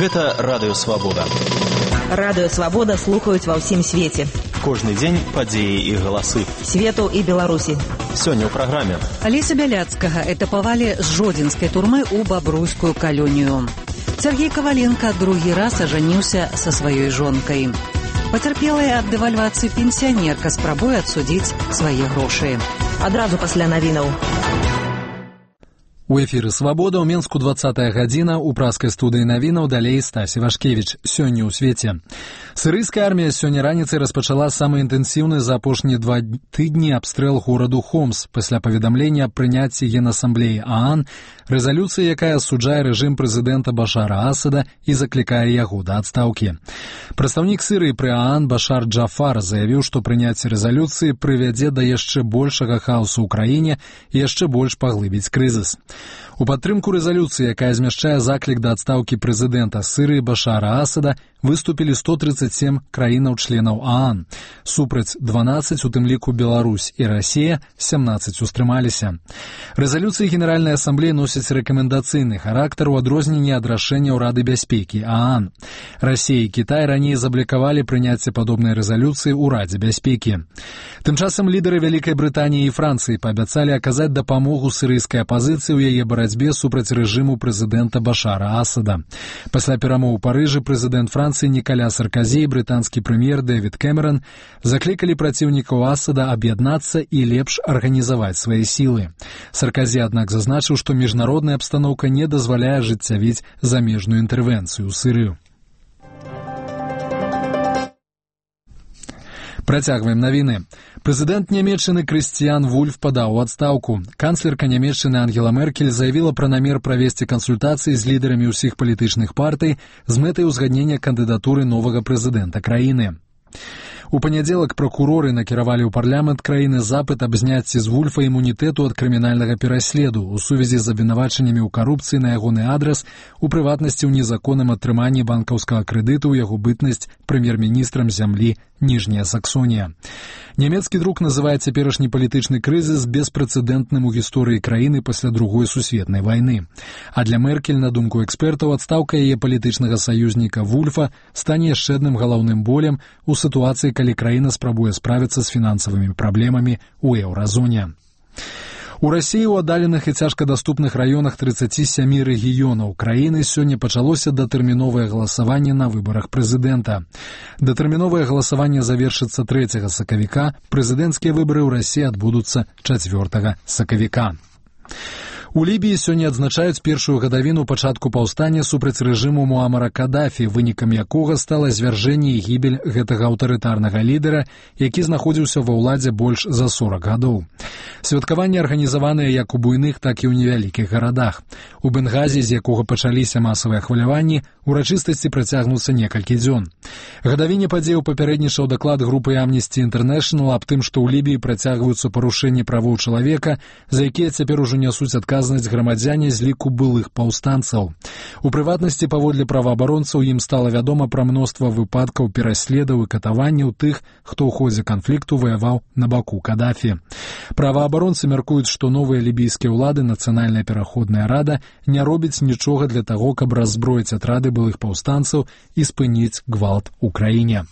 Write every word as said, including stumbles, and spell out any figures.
Гэта Радыё Свабода. Радыё Свабода слухаюць ва ўсім свеце. Кожны дзень падзеі і галасы. Свету і Беларусі. Сёння ў праграме. Алеся Бяляцкага этапавалі з жодзінскай турмы ў бабруйскую калонію. Сергей Коваленко другі раз ажаніўся са сваёй жонкай. Пацярпелая ад дэвальвацыі пенсіянерка спрабуе адсудзіць свае грошы. Адразу пасля навінаў. У эфіры «Свабода» ў Менску двадцатая гадзіна, у праскай студыі навінаў далей Стасі Вашкевіч. Сёння ў свеце. Сірыйская армія сёння раніцай распачала самы інтэнсіўны за апошнія два тыдні абстрэл гораду Хомс пасля паведамлення аб прыняцці Генасамблеі ААН рэзалюцыі, якая асуджае рэжым прэзідэнта Башара Асада і заклікае яго да адстаўкі. Прадстаўнік Сірыі пры ААН Башар Джафар заявіў, што прыняцце рэзалюцыі прывядзе да яшчэ большага хаосу ў краіне і яшчэ больш паглыбіць крызіс. У падтрымку рэзалюцыі, якая змяшчае заклік да адстаўкі прэзідэнта Сірыі Башара Асада, выступілі сто тридцать семь краінаў-членаў ААН. Супраць дванаццаць, у тым ліку Беларусь і Расія, семнаццаць устрымаліся. Рэзалюцыі Генеральнай асамблеі носяць рэкамендацыйны характар у адрозненні ад рашэнняў Рады бяспекі ААН. Расія і Кітай раней заблікавалі прыняцце падобнай рэзалюцыі ў Радзе бяспекі. Тым часам лідары Вялікай Брытаніі і Францыі паабяцалі аказаць дапамогу сірыйскай апазіцыі ў яе барацьбе супраць рэжыму прэзідэнта Башара Асада. Пасля перамоў у Парыжы прэзідэнт Францыі Нікаля Сарказі і брытанскі прэм'ер Дэвід Кэмерон заклікалі праціўнікаў Асада аб'яднацца і лепш арганізаваць свае сілы. Сарказі, аднак, зазначыў, што міжнародная абстаноўка не дазваляе ажыццявіць замежную інтэрвенцыю ў Сірыю. Працягваем навіны. Прэзідэнт Нямецчыны Крыстіян Вульф падаў у адстаўку. Канцлерка Нямецчыны Ангела Меркель заявіла пра намер правесці кансультацыі з лідарамі ўсіх палітычных партый з мэтай узгаднення кандыдатуры новага прэзідэнта краіны. У панядзелак пракуроры накіравалі ў парламент краіны запыт аб зняцці з Вульфа імунітэту ад крымінальнага пераследу ў сувязі з абвінавачаннямі ў карупцыі на ягоны адрас, у прыватнасці ў незаконным атрыманні банкаўскага крэдыту ў яго бытнасць прэм'ер-міністрам зямлі Ніжняя Саксонія. Нямецкі друк называе цяперашні палітычны крызіс беспрэцэдэнтным у гісторыі краіны пасля другой сусветнай вайны. А для Меркель, на думку экспертаў, адстаўка яе палітычнага саюзніка Вульфа стане яшчэ адным галаўным болем у сітуацыі, калі краіна спрабуе справіцца з фінансавымі праблемамі ў еўразоне. У Расіі ў аддаленых і цяжкадаступных раёнах тридцати семи рэгіёнаў краіны сёння пачалося датэрміновае галасаванне на выбарах прэзідэнта. Датэрміновае галасаванне завершыцца трэцяга сакавіка, прэзідэнцкія выбары ў Расіі адбудуцца чацвёртага сакавіка. У Лібіі сёння адзначаюць першую гадавіну пачатку паўстання супраць рэжыму Муамара Кадафі, вынікам якога стала звяржэнне і гібель гэтага аўтарытарнага лідара, які знаходзіўся ва ўладзе больш за сорок гадоў. Святкаванні арганізаваныя як у буйных, так і ў невялікіх гарадах. У Бенгазі, з якога пачаліся масавыя хваляванні, урачыстасці працягнуцца некалькі дзён. Гадавіне падзеяў папярэднічаў даклад групы Amnesty International аб тым, што ў Лібіі працягваюцца парушэнні правоў чалавека, за якія цяпер ужо нясуць адказ грамадзяне з ліку былых паўстанцаў. У прыватнасці, паводле праваабаронцаў, ім стала вядома пра мноства выпадкаў пераследаў і катаванняў тых, хто ў ходзе канфлікту ваяваў на баку Кадафі. Праваабаронцы мяркуюць, што новыя лібійскія ўлады, Нацыянальная пераходная рада, не робіць нічога для таго, каб раззброіць атрады былых паўстанцаў і спыніць гвалт у краіне.